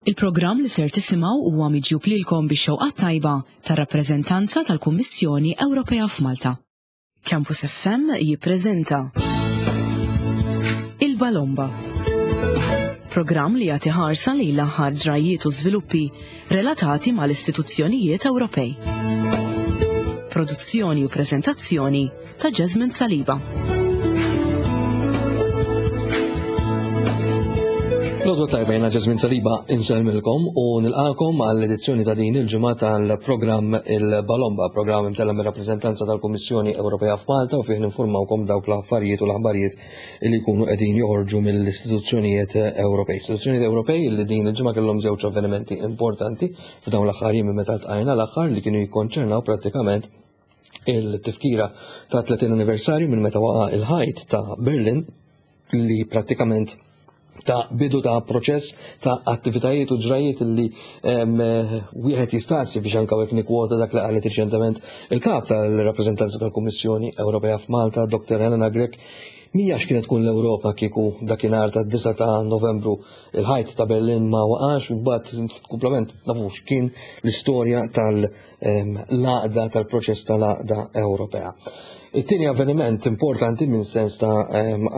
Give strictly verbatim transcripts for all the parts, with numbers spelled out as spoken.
Il-programm li ser tisimgħu huwa miġjub lilkom bix-xewqa tajba tar-rappreżentanza tal-Kummissjoni Ewropea f'Malta. Campus F M jippreżenta Il-Balomba. Programm li jagħti ħarsa lejn l-aħħar ġrajiet u żviluppi relatati mal-istituzzjonijiet Ewropej. Produzzjoni u preżentazzjoni ta' Jasmine Saliba. L-għodwa t-tajba, jiena Jasmine Saliba, insellmilkom u nilqakom għall-edizzjoni ta' din il-ġimgħa tal-programm Il-Balomba, programm imtella mir-rappreżentanza tal-Kummissjoni Ewropea f'Malta u fih ninformawkom dawk l-affarijiet u l-aħbarijiet li jkunu qegħdin joħorġu mill-istituzzjonijiet Ewropej. Istituzzjonijiet Ewropej li din il-ġimgħa kellhom żewġ avvenimenti importanti f'dawn l-aħħar jiem meta ltqajna l-aħħar, li kienu jikkonċernaw prattikament il-tifkira ta' tletin anniversarju minn meta waqa' il-ħajt ta' Berlin, li prattikament ta' bidu ta' proċess ta' attivitajiet u ġrajiet li wieħed jistaqsi, biex anka hekk nikkwota dak li qalet riċentement il-kap tal-rappreżentanza tal-Kummissjoni Ewropea f'Malta, Doktor Helena Grech, mija x'kienet tkun l-Ewropa kieku dakinhar ta' disgħa ta' Novembru il-ħajt ta' Berlin ma waqax, u mbagħad komplement nafux kien l-istorja tal-għaqda, tal-proċess tal-għaqda Ewropea. It-tieni avveniment importanti minn sens ta'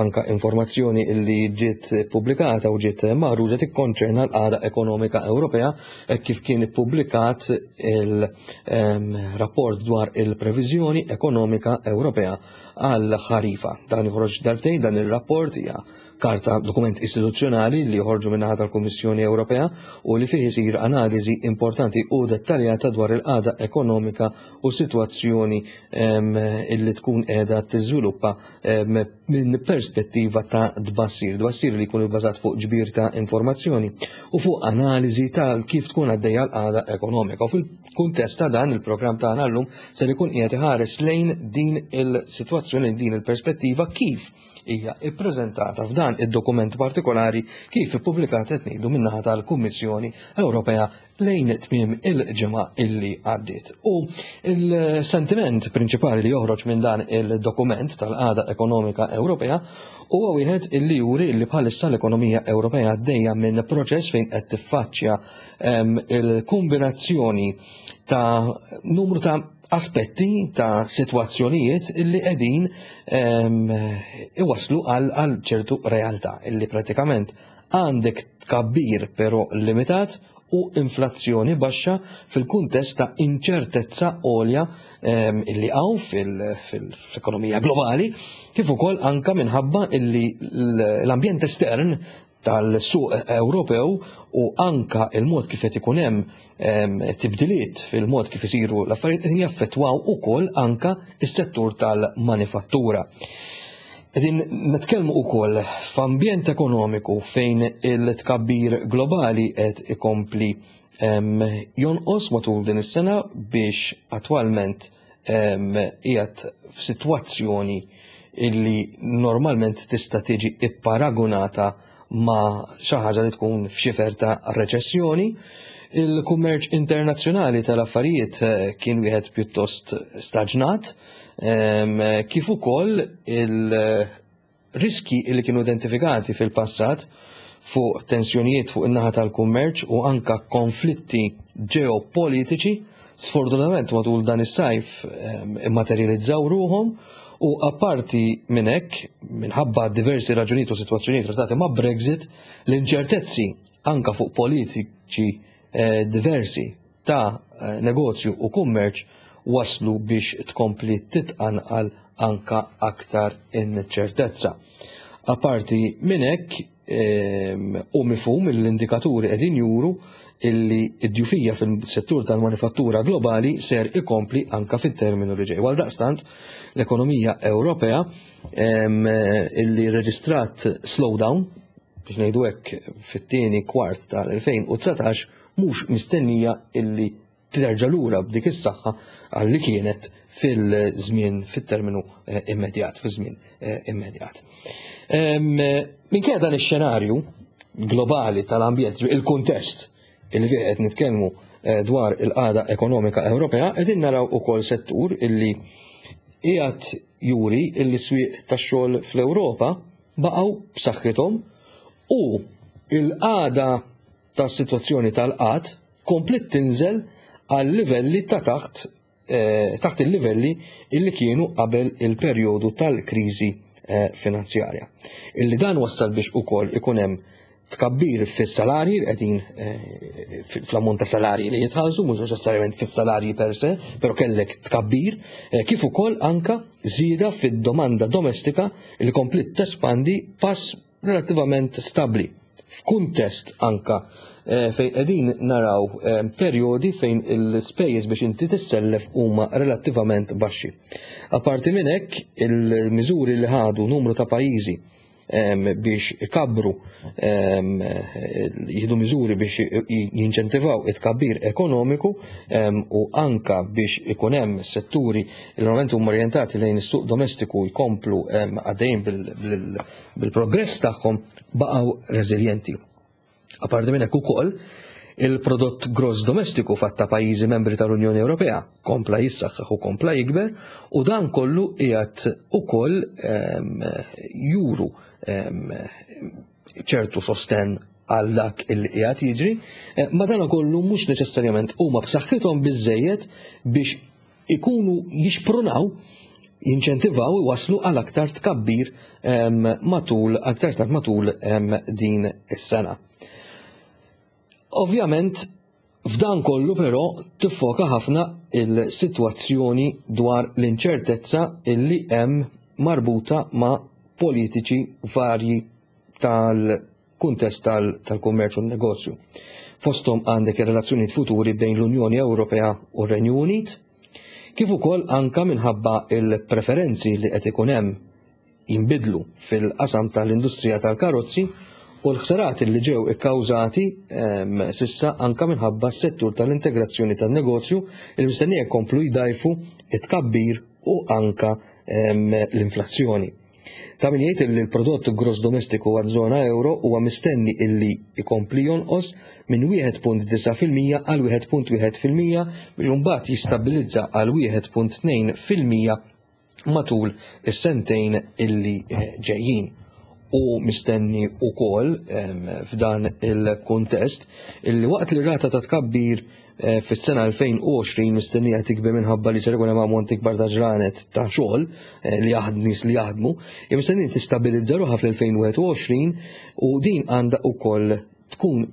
anka informazzjoni li ġiet pubblikata u ġiet maħruġa tikkonċerna l-qagħda ekonomika Ewropea, hekk kif kien ippubblikat il-rapport dwar il-previżjoni ekonomika Ewropea għal ħarifa. Dan joħroġ darbtejn, dan ir-rapport hija karta, dokument istituzzjonali li joħorġu min-naħa tal-Kummissjoni Ewropea u li fih isir analiżi importanti u dettaljata dwar il-qagħda ekonomika u sitwazzjoni illi tkun qiegħda tiżviluppa minn perspettiva ta' tbassir, tbassir li jkun ibbażat fuq ġbir ta' informazzjoni u fuq analiżi tal kif tkun għaddejja l-qagħda ekonomika. U fil-kuntest ta' dan il-programm tagħna llum ser ikun qiegħed iħares lejn din il-sitwazzjoni, din il-perspettiva kif hija ippreżentata f'dan id-dokument partikolari, kif ippubblikat, qed ngħidu, min-naħa tal-Kummissjoni Ewropea lejn tmiem il-ġimgħa illi għaddiet. U il-sentiment prinċipali li joħroġ minn dan il-dokument tal-qagħda ekonomika Ewropea huwa wieħed illi juri li bħalissa l-ekonomija Ewropea għaddejja minn proċess fejn qed tiffaċċja il-kombinazzjoni ta' numru ta' aspetti ta' sitwazzjonijiet illi qegħdin iwaslu għal ċertu realtà illi pratikament għandek tkabbir però limitat u inflazzjoni baxxa fil-kuntest ta' inċertezza għolja illi hawn fil-ekonomija globali, kif ukoll anka minħabba illi l-ambjent estern tal-suq Ewropew u anka il-mod kif qed ikun hemm tibdiliet fil-mod kif isiru l-affarijiet qed jaffettwaw ukoll anka s-settur tal-manifattura. Qegħdin nitkellmu ukoll f'ambjent ekonomiku fejn il-tkabbir globali qed ikompli jonqos matul din is-sena biex attwalment qiegħed f'sitwazzjoni illi normalment tista' tiġi ipparagunata ma' xi ħaġa li tkun f'xifer ta' reċessjoni. Il-kummerċ internazzjonali tal-affarijiet kien wieħed pjuttost staġnat, kif ukoll il-riski li kienu identifikati fil-passat fuq tensjonijiet fuq in-naħa tal-kummerċ u anka konflitti ġeopolitiċi, sfortunatament matul dan is-sajf immaterializzaw ruhom. U apparti minn hekk, minħabba diversi raġunijiet u sitwazzjonijiet relatati ma' Brexit, l-inċertezzi anka fuq politiċi, eh, diversi ta' eh, negozju u kummerċ waslu biex tkompli titqanqal anka aktar inċertezza. Apparti minn hekk, ehm, u mifhum l-indikaturi qegħdin juru illi id-djufija fil-settur tal-manifattura globali ser ikompli anka fit-terminu li ġej. Għal daqstant, l-ekonomija Ewropea, em, illi reġistrat slowdown, biex ngħidu hekk, fit-tieni kwart tal-elfejn u dsatax, mhux mistennija illi terġa' lura b'dik is-saħħa għal li kienet fil-żmien, fit-terminu, eh, immedjat, fiż-żmien, eh, immedjat. Em, Minkejja dan ix-xenarju globali tal-ambjent, il-kuntest illi fih qed nitkellmu eh, dwar il-qagħda ekonomika Ewropea, qegħdin naraw ukoll settur illi qiegħed juri illi swieq tax-xogħol fl-Ewropa baqgħu b'saħħithom u il-qagħda tas-sitwazzjoni tal-qgħad kompliet tinżel għal livelli ta' taħt eh, taħt il-livelli illi kienu qabel il-perjodu tal-kriżi eh, finanzjarja. Illi dan wassal biex ukoll ikun hemm tkabbir fis-salarji li qegħdin eh, fl-ammont ta' salarji li jitħallsu, mhux neċessarjament fis-salarji per se, però kellek tkabbir, eh, kif ukoll anka żieda fid-domanda domestika li kompliet tespandi pass relattivament stabbli. F'kuntest anka eh, fejn qegħdin naraw perjodi fejn il-spejjeż biex inti tissellef huma relattivament baxxi. Apparti minn hekk, il-miżuri li ħadu numru ta' pajjiżi biex ikabru, jieħdu miżuri biex jinċentivaw it-tkabbir ekonomiku u anka biex ikun hemm setturi li normalment huma orjentati lejn is-suq domestiku jkomplu għaddejjin bil-progress tagħhom, baqgħu reżiljenti. Apparti minn hekk ukoll, il-prodott gross domestiku fatta pajjiżi membri tal-Unjoni Ewropea kompla jissaħħaħ u kompla jikber, u dan kollu qiegħed ukoll juru ċertu sosten għal dak il qiegħed jiġri, eh, ma dan kollu mhux neċessarjament huma b'saħħithom biżejjed biex ikunu jixprunaw, jinċentivaw, waslu għal aktar tkabbir matul aktar tard matul din is-sena. Ovvjament, f'dan kollu però tiffoka ħafna il-sitwazzjoni dwar l-inċertezza illi hemm marbuta ma' politiċi varji tal-kuntest tal-kummerċ u n-negozju. Fosthom għandek ir-relazzjonijiet futuri bejn l-Unjoni Ewropea u r-Renju Unit, kif ukoll anka minħabba il-preferenzi li qed ikun hemm jinbidlu fil-qasam tal-industrija tal-karozzi u l-ħsarat li ġew ikkawżati ehm, s'issa anka minħabba s-settur tal-integrazzjoni tan-negozju il mistennija jkomplu jdajfu it-tkabbir u anka ehm, l-inflazzjoni. Ta' min jgħid li l-prodott gross domestiku għaż-żona euro huwa mistenni illi jkompli jonqos minn wieħed punt disgħa fil-mija għal wieħed punt wieħed fil-mija biex imbagħad jistabilizza għal wieħed punt tnejn fil-mija matul is-sentejn illi eh, ġejjin. U mistenni ukoll f'dan il-kuntest illi waqt li rata ta' tkabbir eh, fis-sena elfejn u għoxrin mistennija tikber minħabba li ser ikun hemm ammont ikbar ta' ġranet ta' xogħol eh, li jaħdmu, nies li jaħdmu, mistenni tistabilizza ruħha fl-elfejn u wieħed u għoxrin u din għandha ukoll tkun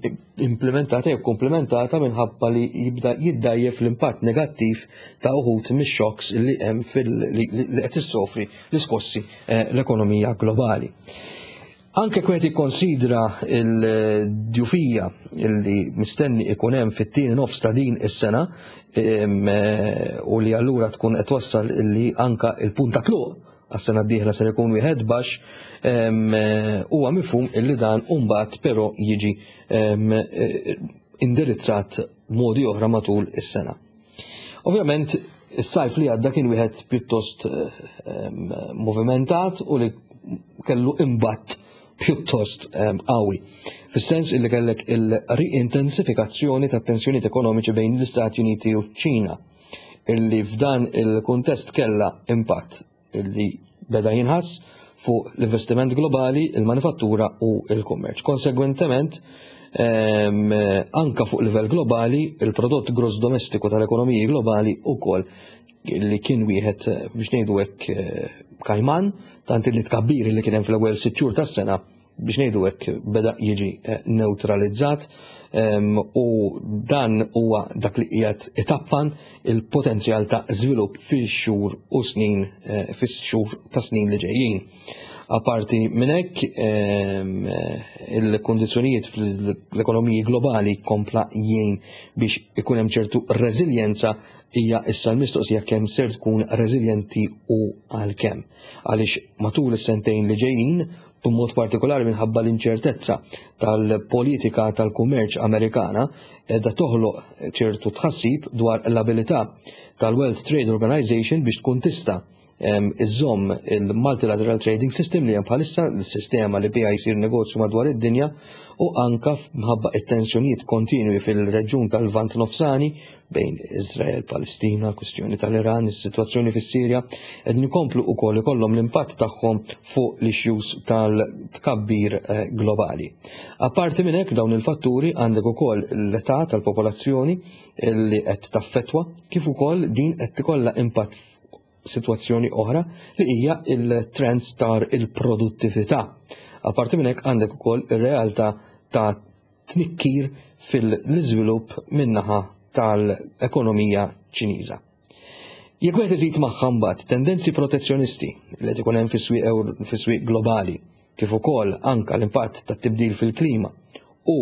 implementata jew komplementata minħabba li jibda jiddajjef l-impatt negattiv ta' uħud mix-shocks li hemm fil li qed issofri l-iskossi eh, l-ekonomija globali. Anke kwet jikkonsidra il-djufija li mistenni ikun hemm fit-tieni nofs ta' din is-sena eh, u li allura tkun qed wassal li anka il-punt ta' tluq għas-sena d-dieħla ser ikun wieħed baxx, huwa mifhum illi dan mbagħad però jiġi eh, indirizzat modi oħra matul is-sena. Ovvjament, is-sajf li għadda kien wieħed pjuttost movimentat u li kellu impatt pjuttost qawwi. Fis-sens illi kellek il-riintensifikazzjoni ta' tensjonijiet ekonomiċi bejn l-Istati Uniti u ċ-Ċina, illi f'dan il-kuntest kella impatt illi beda jinħass fuq l-investiment globali, il-manifattura u il-kummerċ. Konsegwentement, anka fuq livell globali, il-prodott gross domestiku tal-ekonomiji globali ukoll li kien wieħed, biex ngħidu hekk, eh, kajman, tant li tkabbir li kien hemm fl-ewwel sitt xhur tas-sena, biex ngħidu hekk, beda jiġi eh, neutralizzat u dan huwa dak li qiegħed itappan il-potenzjal ta' żvilupp fix-xhur u snin eh, fix-xhur ta' snin li ġejjin. Aparti minn hekk, il-kondizzjonijiet fl-ekonomiji globali kompla jgħin biex ikun hemm ċertu reżiljenza. Hija issa l-mistoqsija kemm ser tkun reżiljenti u għal kemm. Għaliex matul is-sentejn li ġejjin, b'mod partikolari minħabba l-inċertezza tal-politika tal-kummerċ Amerikana, edha toħloq ċertu tħassib dwar l-abilità tal-World Trade Organization biex tkun tista' iżżomm il-Multilateral Trading System li hemm bħalissa, l-sistema li biha jsir negozju madwar id-dinja, u anka mħabba it-tensjonijiet kontinwi fil-reġjun tal-Lvant Nofsani bejn Izrael, Palestina, kwistjoni tal-Iran, is-sitwazzjoni fis-Sirja, qegħdin ikomplu wkoll ikollhom l-impatt tagħhom fuq l-issues tal-tkabbir eh, globali. Apparti minn hekk, dawn il-fatturi, għandek ukoll l-età tal-popolazzjoni li qed taffetwa, kif ukoll din qed ikollha impatt situazzjoni oħra li hija il-trends tar il-produttività. Apparti minn hekk, għandek ukoll ir-realtà ta' tnikkir fil-iżvilupp min-naħa tal-ekonomija Ċiniża. Jekk wieħed iżid magħha mbagħad tendenzi protezzjonisti li qed ikun hemm fis-swieq fis-swieq globali, kif ukoll anka l-impatt tat-tibdil fil-klima u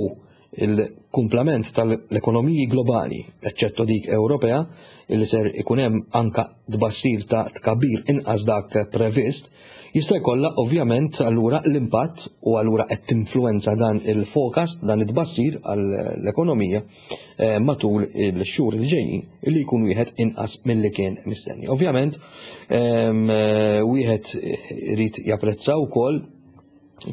il-kumplament tal-ekonomiji globali, eċċetto dik Ewropea, illi ser ikun hemm anka tbassir ta' tkabbir inqas dak previst, jista' jkollha ovvjament allura l-impatt u allura qed tinfluwenza dan il-forecast, dan it-tbassir għall-ekonomija eh, matul il-xhur li ġejjin illi jkun wieħed inqas milli kien mistenni. Ovvjament, ehm, eh, wieħed irid japprezza wkoll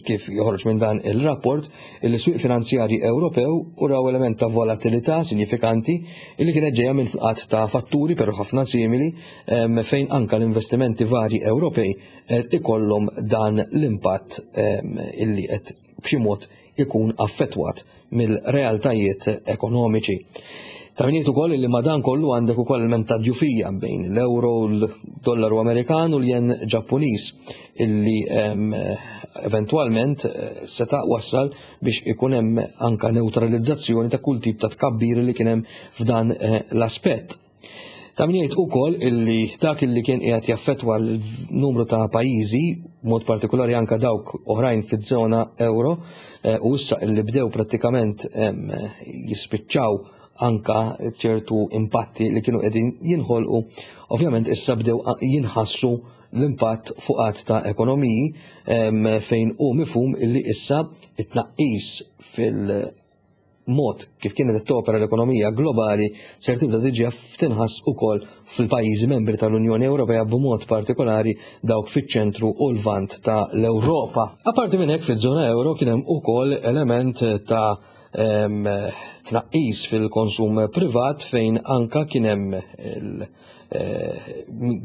kif joħroġ minn dan il-rapport il-swieq finanzjarji Ewropew uraw element ta' volatilità sinifikanti illi kienet ġejja minn għadd ta' fatturi, però ħafna simili, fejn anka l-investimenti varji Ewropej qed ikollhom dan l-impatt illi qed b'xi mod ikun affettwat mill-realtajiet ekonomiċi. Ta' min jgħid ukoll li ma' dan kollu għandek ukoll element ta' djufija bejn l-euro, l-dollaru Amerikan u l-jen Ġappuniż illi eventwalment eh, seta' wassal biex ikun hemm anka neutralizzazzjoni ta' kull tip ta' tkabbir li kien hemm f'dan eh, l-aspett. Ta' min jgħid ukoll illi dak illi kien qiegħed jaffettwa l-numru ta' pajjiżi, mod partikolari anka dawk oħrajn fiż-żona euro, eh, u issa illi bdew prattikament jispiċċaw anka ċertu impatti li kienu qegħdin jinħolqu, ovvjament issa bdew jinħassu l-impatt fuq għadd ta' ekonomiji, fejn hu mifhum illi issa it-tnaqqis fil-mod kif kienet topera l-ekonomija globali ser tibda tiġi tinħass ukoll fil-pajjiżi membri tal-Unjoni Ewropea, b'mod partikolari dawk fiċ-ċentru u l-vant ta' l-Ewropa. Apparti minn hekk, fiż-żona euro kien hemm ukoll element ta' tnaqqis fil-konsum privat, fejn anka kien hemm eh,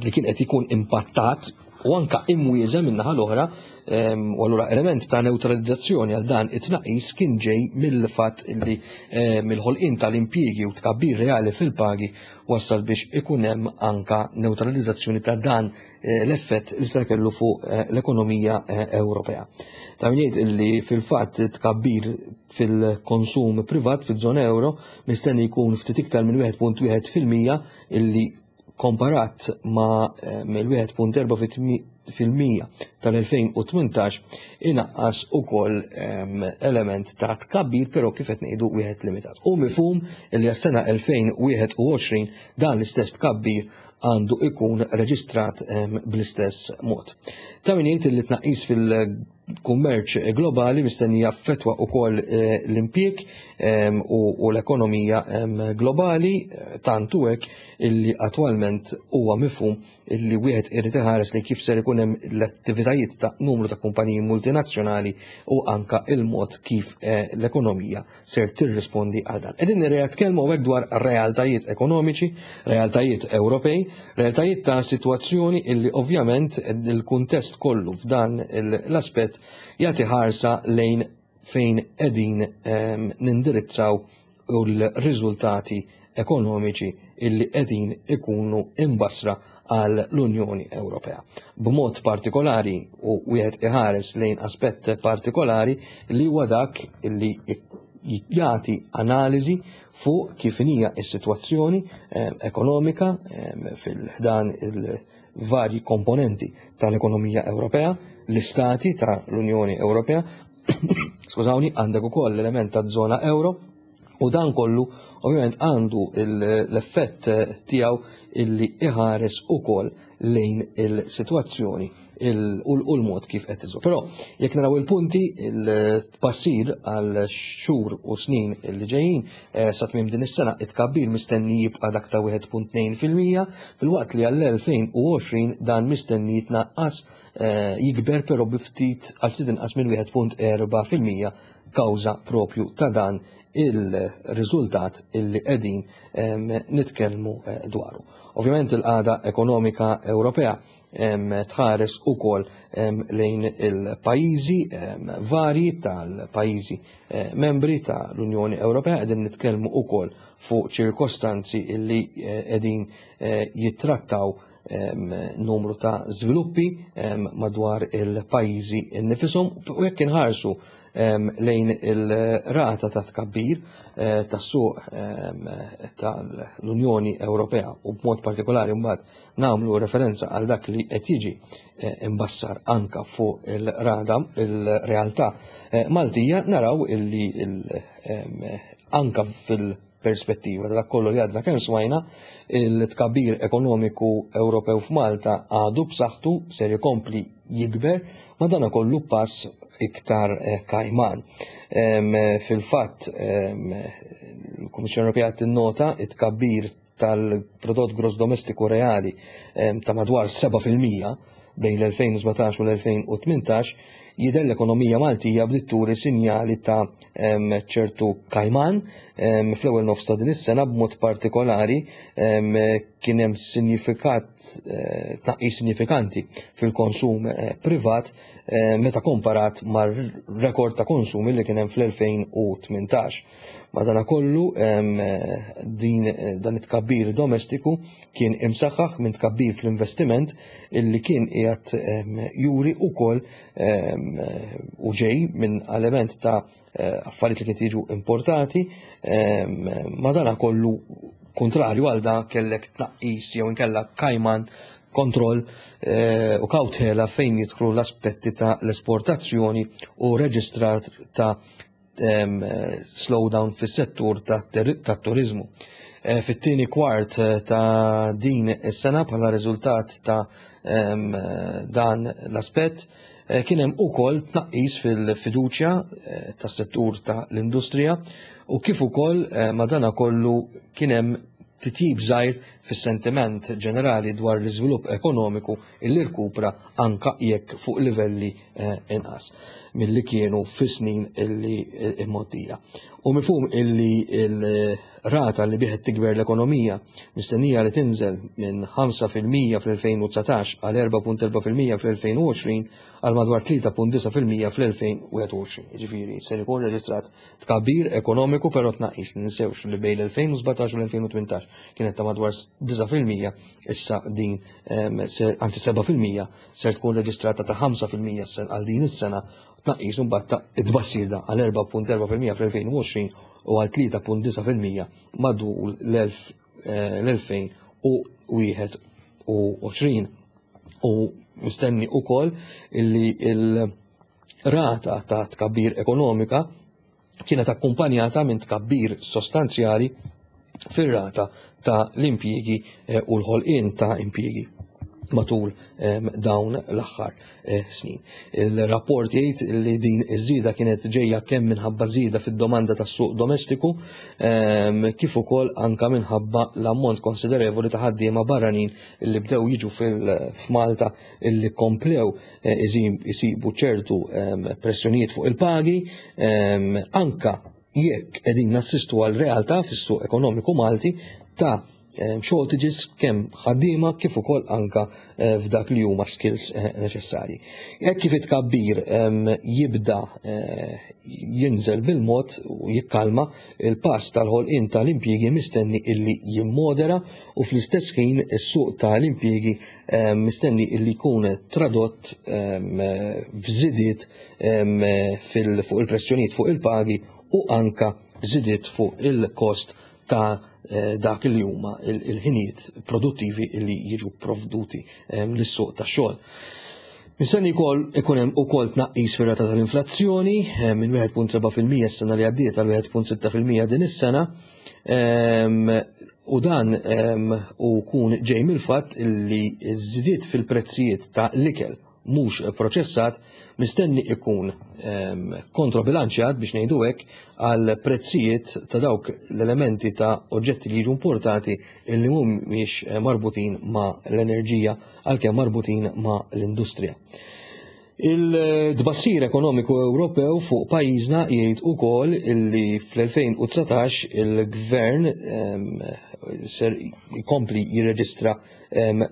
li kien qed ikun impattat u anka imwieżen min-naħa l-oħra, u allura element ta' neutralizzazzjoni għal dan it-tnaqqis kien ġej mill-fatt li mill-ħolqien tal-impjiegi u tkabbir reali fil-pagi wassal biex ikun hemm anka neutralizzazzjoni ta' dan eh, l-effett li se kellu fuq eh, l-ekonomija eh, Ewropea. Ta' min jgħid illi fil-fatt tkabbir fil-konsum privat fil-żona euro mistenni jkun ftit iktar minn wieħed punt wieħed fil-mija, illi komparat ma' mill-wieħed punt erba' fil-mija tal-elfejn u tmintax inaqqas ukoll element ta' tkabbir, però kif qed ngħidu wieħed limitat. U mifhum li għas-sena elfejn u wieħed u għoxrin dan l-istess tkabbir għandu ikun reġistrat bl-istess mod. Ta' min jgħid li tnaqqis fil-kummerċ globali mistenni jaffettwa wkoll eh, l-impjieg u l-ekonomija globali, tantu hekk illi attwalment huwa mifhum illi wieħed irid iħares li kif ser ikun hemm l-attivitajiet ta' numru ta' kumpaniji multinazzjonali u anka il-mod kif eh, l-ekonomija ser tirrispondi għal dan. Qegħdin nitkellmu hekk dwar realtajiet ekonomiċi, realtajiet Ewropej, realtajiet ta' sitwazzjoni illi ovvjament il-kuntest kollu f'dan l-aspett jagħti ħarsa lejn fejn qegħdin ehm, nindirizzaw u l-riżultati ekonomiċi illi qegħdin ikunu imbassra għal l-Unjoni Ewropea. B'mod partikolari u wieħed iħares lejn aspett partikolari li huwa dak illi jagħti analiżi fuq kif hija s-sitwazzjoni eh, ekonomika eh, fil-ħdan il-varji komponenti tal-ekonomija Ewropea, l-istati tal-Unjoni Ewropea, skużawni, għandek ukoll l-element ta' żona euro. U dan kollu ovvjament għandu l-effett tiegħu illi iħares ukoll lejn il-sitwazzjoni u l-mod kif qed iżu. Però jekk naraw il-punti, il-tbassir għal xhur u snin li ġejjin eh, sa tmiem din is-sena, it-tkabbir mistenni jibqa' dak ta' wieħed punt tnejn fil-mija, filwaqt li għall-elfejn u għoxrin dan mistenni jitnaqqas, eh, jikber però bi ftit għal ftit inqas minn wieħed punt erba' fil-mija kawża propju ta' dan il-riżultat illi qegħdin, em, nitkellmu, eh, dwaru. Ovvjament il-qagħda ekonomika Ewropea, em, tħares ukoll, em, lejn il-pajjiżi, em, varji tal-pajjiżi, eh, membri tal-Unjoni Ewropea. Qegħdin nitkellmu ukoll fuq ċirkostanzi illi, eh, qegħdin, eh, jittrattaw, em, numru ta' żviluppi, em, madwar il-pajjiżi nnifisom, u jekk inħarsu, em, lejn il-rata ta' tkabbir, eh, tas-suq, em, tal-Unjoni Ewropea u b'mod partikolari mbagħad nagħmlu referenza għal dak li qed jiġi, eh, imbassar anka fuq il-rada il-realtà, eh, Maltija, naraw illi il-, em, anka fil-perspettiva ta' dak kollu li għadna kemm smajna, il-tkabbir ekonomiku Ewropew f'Malta għadu b'saħħtu, ser ikompli jikber, ma dana kollu pass iktar, eh, kajman. Em, fil-fatt, em, il-Kummissjoni Ewropea tinnota it-tkabbir tal-prodott gross domestiku reali, em, ta' madwar seba' fil-mija bejn l-elfejn u sbatax u l-elfejn u tmintax, jidher l-ekonomija Maltija bdiet turi sinjali ta', em, ċertu kajman, em, fl-ewwel nofs ta' din is-sena. B'mod partikolari, em, kien hemm sinifikat, eh, tnaqqis sinifikanti fil-konsum, eh, privat, eh, meta komparat mar-rekord ta' konsum li kien hemm fl-elfejn u tmintax. Madanakollu, em, din, dan it-tkabbir domestiku kien imsaħħaħ minn tkabbir fl-investiment illi kien qiegħed, em, juri wkoll, em, u ġej minn element ta', eh, affarijiet li kienu jiġu importati. em, madanakollu kontrarju għal da kellek tnaqqis jew inkella kajman kontroll, eh, u kawtela fejn jidħlu l-aspetti ta' l-esportazzjoni u reġistrat ta', em, slowdown fis-settur ta' ter-, ta' turizmu. Eh, fit-tieni kwart, eh, ta' din is-sena bħala riżultat ta', em, dan l-aspett, eh, kien hemm ukoll tnaqqis fil-fiduċja, eh, tas-settur ta' l-industrija u kif ukoll, eh, madana kollu kien hemm titjib żgħir fis-sentiment ġenerali dwar l-iżvilupp ekonomiku illi rkupra anka jekk fuq livelli, eh, inqas milli kienu fis-snin illi, eh, imgħoddija. U mifhum illi il-rata li bieħed tikber l-ekonomija mistennija li tinżel minn ħamsa fil-mija fl-elfejn u dsatax għal erba' punt erba' fil-mija fl-elfejn u għoxrin għal madwar tlieta punt disa' fil-mija fl-elfejn u wieħed u għoxrin. Jiġifieri ser ikun reġistrat tkabbir ekonomiku però tnaqqis. Ninsewx li bejn l-elfejn u sbatax u l-elfejn u tmintax kienet ta' madwar disa' fil-mija, issa din, em, ser, anzi seba' fil-mija ser tkun reġistrata ta' ħamsa fil-mija għal din is-sena, tnaqqis imbagħad ta' it-tbassir da għal erba' punt erba' fil-mija fl-elfejn u għoxrin u għal tlieta punt disa' fil-mija madwar l-elf, eh, l-elfejn u wieħed u għoxrin. U mistenni ukoll illi il-rata ta' tkabbir ekonomika kienet akkumpanjata minn tkabbir sostanzjali fir-rata ta' l-impjiegi, eh, u l-ħolqien ta' impjiegi matul, em, dawn l-aħħar, eh, snin. Il-rapport jgħid li din iż-żieda kienet ġejja kemm minħabba żieda fid-domanda tas-suq domestiku, em, kif ukoll anka minħabba l-ammont konsiderevoli ta' ħaddiema barranin li bdew jiġu fil-, f'Malta illi komplew, eh, iżim-, isibu ċertu, em, pressjonijiet fuq il-pagi, em, anka jekk qegħdin nassistu għal realtà fis-suq ekonomiku Malti ta' em, shortages kemm ħaddiema kif ukoll anka, eh, f'dak li huma skills, eh, neċessarji. Hekk kif it-tkabbir, em, jibda, eh, jinżel bil-mod u jikkalma, il-pass tal-ħolqien tal-impjiegi mistenni illi jimmodera u fl-istess ħin is-suq tal-impjiegi, em, mistenni illi jkun tradott, em, f'żidiet, em, fil-, fuq il-pressjonijiet fuq il-pagi u anka żidiet fuq il-kost ta', eh, dak li huma il-, il-ħinijiet produttivi li jiġu provduti, em, lis-suq tax-xogħol. Mistenni wkoll ikun hemm ukoll tnaqqis fir-rata tal-inflazzjoni, eh, minn wieħed punt seba' fil-mija s-sena li għaddiet għal wieħed punt sitta fil-mija din is-sena, em, u dan, em, u kun ġej mill-fatt li ż-żidiet fil-prezzijiet ta' l-ikel mhux proċessat mistenni ikun kontrobilanċjat biex ngħidu hekk għal prezzijiet ta' dawk l-elementi ta' oġġetti li jiġu importati illi mhumiex marbutin ma' l-enerġija għalkemm marbutin ma' l-industrija. Il-tbassir ekonomiku Ewropew fuq pajjiżna jgħid ukoll illi fl-elfejn u dsatax il-gvern ser jkompli jirreġistra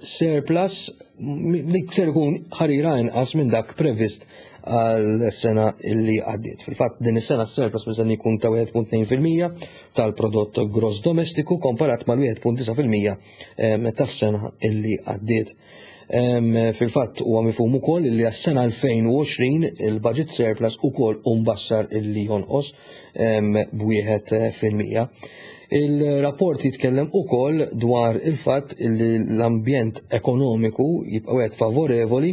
surplus li ser ikun ħarira inqas minn dak previst għal sena illi għaddiet. Fil-fatt din is-sena surplus mistenni jkun ta' wieħed punt tnejn fil-mija tal-prodott gross domestiku komparat mal-wieħed punt disa' fil-mija tas-sena illi għaddiet. Fil-fatt huwa mifhum ukoll li għas-sena elfejn u għoxrin il-budget surplus ukoll hu mbassar illi jonqos b'wieħed fil-mija. Il-rapport jitkellem ukoll dwar il-fatt li l-ambjent ekonomiku jibqa' wieħed favorevoli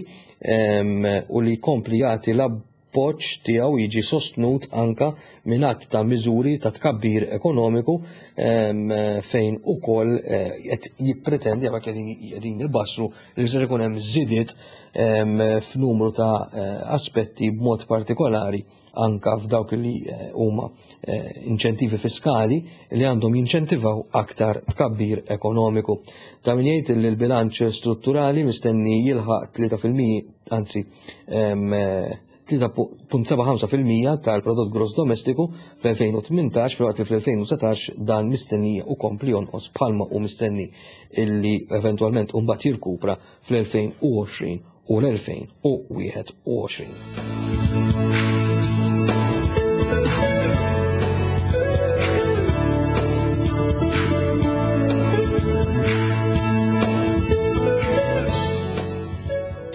u li jkompli jagħti l-appoġġ tiegħu jiġi sostnut anka minn għadd ta' miżuri ta' tkabbir ekonomiku fejn ukoll qed jippretendi għal qegħdin ibassru li ser ikun hemm żidiet f'numru ta' aspetti b'mod partikolari anka f'dawk li huma inċentivi fiskali li għandhom jinċentivaw aktar tkabbir ekonomiku. Ta' min jgħid li l-bilanċ strutturali mistenni jilħaq tlieta fil-mija, anzi, tlieta punt seba' ħamsa fil-mija tal-prodott gross domestiku fl-elfejn u tmintax, filwaqt li fl-elfejn u satax dan mistenni u kompli jonqos bħalma u mistenni illi eventwalment mbagħad jirkupra fl-elfejn u għoxrin u l-elfejn u wieħed u għoxrin.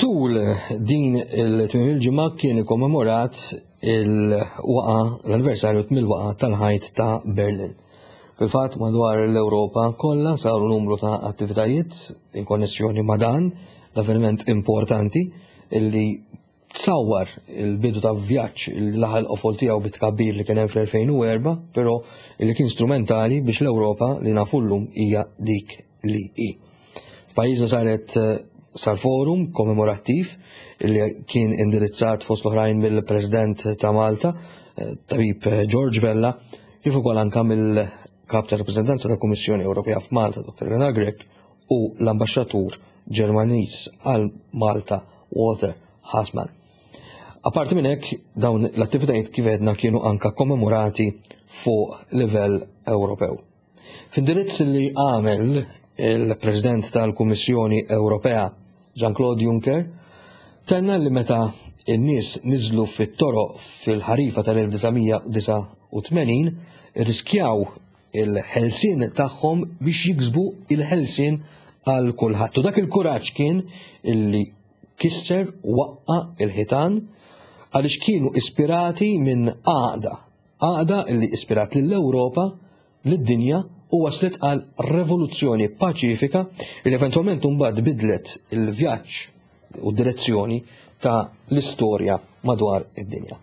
Tul din il-tmiem il-ġimgħa kien ikkommemorat il-waqa, l-anniversarju mill-waqa tal-ħajt ta' Berlin. Fil-fatt madwar l-Ewropa kollha saru numru ta' attivitajiet in konnessjoni ma' dan l-avveniment importanti illi tsawwar il-bidu ta' vjaġġ li laħal qofol tiegħu bit-tkabbir li kien hemm fl-elfejn u erba', però illi kien strumentali biex l-Ewropa li nafu llum hija dik li hi. F'pajjiżna saret sar forum kommemorattiv li kien indirizzat fost l-oħrajn mill-President ta' Malta, Tabib George Vella, kif ukoll anke mill-Kap ta' Rappreżentanza tal-Kummissjoni Ewropea f'Malta, Doktor Elena Grech, u l-Ambaxxatur Ġermaniż għal Malta, Walter Hassmann. Apparti minn hekk, dawn l-attivitajiet kif għedna kienu anka kommemorati fuq livell Ewropew. F'indirizz li għamel il-President tal-Kummissjoni Ewropea, Jean-Claude Juncker, tenna li meta n-nies niżlu fit-toroq fil-ħarifa tal-elf disa' mija u disa' u tmenin, irriskjaw il-ħelsien tagħhom biex jiksbu il-ħelsien għal kulħadd. U dak il-kuraġġ kien illi kisser waqqa il-ħitan għaliex kienu ispirati minn għaqda, għaqda illi ispirat lill-Ewropa, lid-dinja u waslet għal revoluzzjoni paċifika li eventwalment mbagħad bidlet il-vjaġġ u d-direzzjoni ta' l-istorja madwar id-dinja.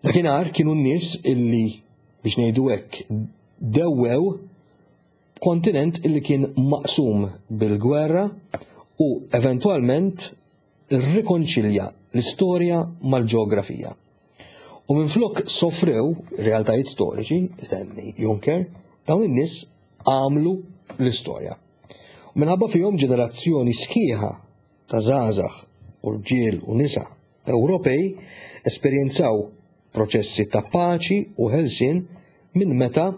Dakinhar kienu n-nies illi biex ngħidu hekk dewwew kontinent illi kien maqsum bil-gwerra u eventwalment rrikonċilja l-istorja mal-ġeografija. U minflok sofrew realtajiet storiċi, tenni Juncker, dawn in-nies għamlu l-istorja. U minħabba fihom ġenerazzjoni sħiħa ta' żgħażagħ u rġiel u nisa Ewropej esperjenzaw proċessi ta' paċi u ħelsien minn meta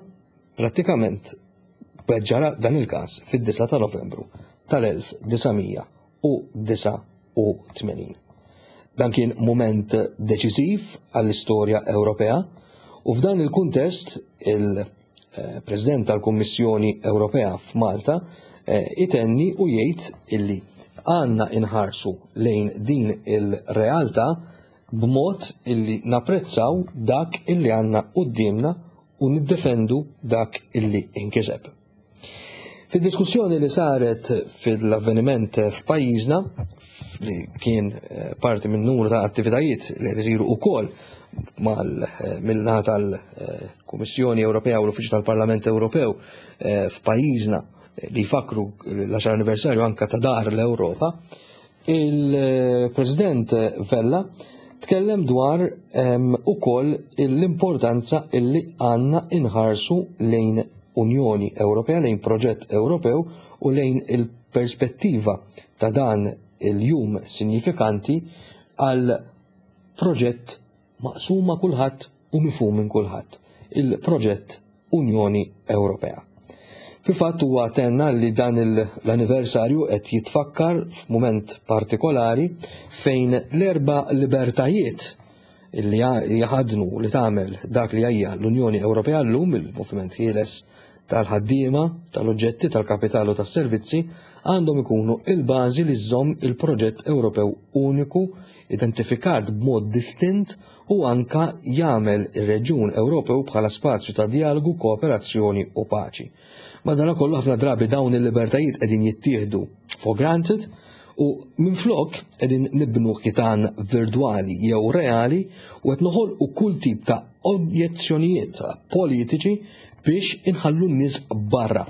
prattikament ġara dan il-każ fid-disa ta' Novembru tal-elf disa' mija u disa' u tmenin. Dan kien mument deċiżiv għall-istorja Ewropea u f'dan il-kuntest il-President tal-Kummissjoni Ewropea f'Malta, eh, itenni u jgħid illi għandna inħarsu lejn din il-realtà b'mod illi napprezzaw dak illi għandna quddiemna u niddefendu dak illi inkiseb. Fid-diskussjoni li saret fil-avveniment f'pajjiżna, li kien, eh, parti minn numru ta' attivitajiet li qed isiru wkoll mal-, eh, mill-naħa tal-Kummissjoni Ewropea u l-Uffiċċju tal-Parlament Ewropew, eh, f'pajjiżna li jfakru l-għaxar anniversarju anka ta' Dar l-Ewropa, Il-President Vella tkellem dwar ukoll l-importanza illi għandna inħarsu lejn Unjoni Ewropea, lejn proġett Ewropew u lejn il-perspettiva ta' dan il-jum sinifikanti għal proġett maqsuma kulħadd u mifhum minn kulħadd, il-proġett Unjoni Ewropea. Fil-fatt huwa tenna li dan l-anniversarju qed jitfakkar f'mument partikolari fejn l-erba' libertajiet li jaħadnu li tagħmel dak li hija l-Unjoni Ewropea llum, il-moviment ħieles tal-ħaddiema, tal-oġġetti, tal-kapitalu, tas-servizzi, għandhom ikunu il-bażi li żżomm il-proġett Ewropew uniku, identifikat b'mod distint u anka jagħmel ir-reġjun Ewropew bħala spazju ta' dialogu, kooperazzjoni u paċi. Madanakollu ħafna drabi dawn il-libertajiet qegħdin jittieħdu for granted u minflok qegħdin nibnu ħitan virtwali jew reali u qed noħolqu kull tip ta' objezzjonijiet politiċi biex inħallu n-nies barra.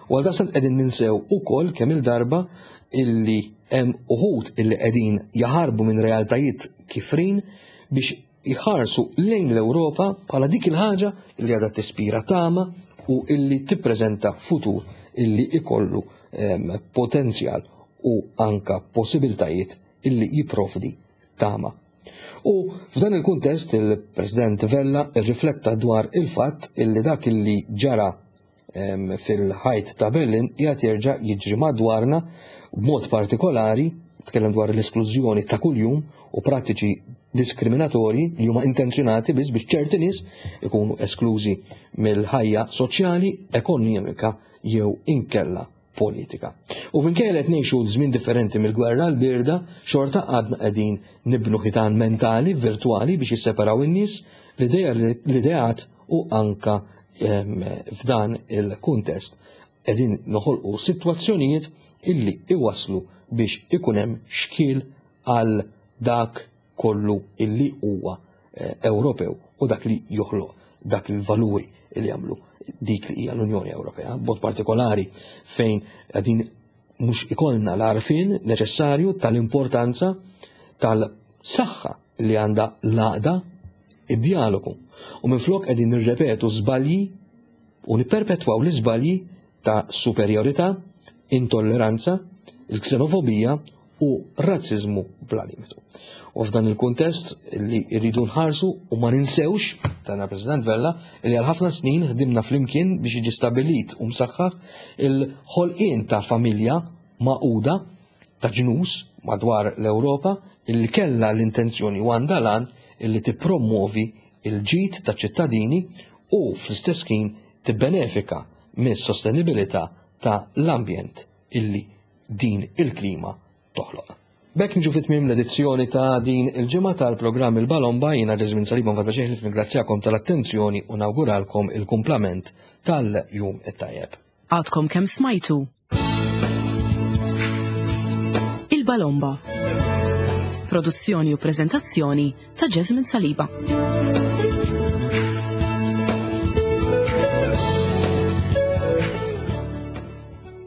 U għal qegħdin ninsew ukoll kemm il-darba illi hemm uħud illi qegħdin jaħarbu minn realtajiet kifrin biex jħarsu lejn l-Ewropa bħala dik il-ħaġa illi għadha tispira tama u illi tippreżenta futur illi ikollu potenzjal u anka possibiltajiet illi jipprovdi tama. U f'dan il-kuntest il-President Vella rrifletta dwar il-fatt illi dak illi ġara fil-ħajt ta' Berlin qiegħed jerġa' jiġri madwarna b'mod partikolari, tkellem dwar l-esklużjoni ta' kuljum u prattiċi diskriminatorji li huma intenzjonati biss biex ċerti nies ikunu esklużi mill-ħajja soċjali, ekonomika jew inkella politika. U minkejja li qed ngħixu żmien differenti mill-gwerra l-birda, xorta għadna qegħdin nibnu ħitan mentali virtwali biex jisseparaw in-nies, l-ideat u anka f'dan il-kuntest qegħdin noħolqu sitwazzjonijiet illi iwaslu biex ikun hemm xkiel għal dak kollu illi huwa Ewropew u dak li joħloq dak il-valuri illi jagħmlu dik li hija l-Unjoni Ewropea, b'mod partikolari fejn qegħdin mhux ikollna l-għarfien neċessarju tal-importanza tal-saħħa li għandha l-għaqda, id-dialogu. U minflok qegħdin nirrepetu żbalji u nipperpetwaw l-iżbalji ta' superjorità, intolleranza, il-ksenofobija u razziżmu bla limitu. U f'dan il-kuntest li rridu nħarsu u ma ninsewx, tana President Vella, li għal ħafna snin ħdimna flimkien biex jiġi stabbilit u msaħħaħ il-ħolqien ta' familja maquda ta' ġnus madwar l-Ewropa illi kellha l-intenzjoni u għandha lan illi tippromuovi il-ġid ta' ċittadini u fl-istess ħin tibbenefika mis-sostenibilità ta' l-ambjent illi din il-klima toħloq. B'hekk niġu fit-tmiem l-edizzjoni ta' din il-ġimgħa tal-programm Il-Balomba. Jiena Ġeżmin Saliba nfadla xejn ningrazzjakom tal-attenzjoni u nawguralkom il-kumplament tal-jum it-tajjeb. Għadkom kemm smajtu Il-Balomba. Produzzjoni u preżentazzjoni ta' Ġeżmin Saliba.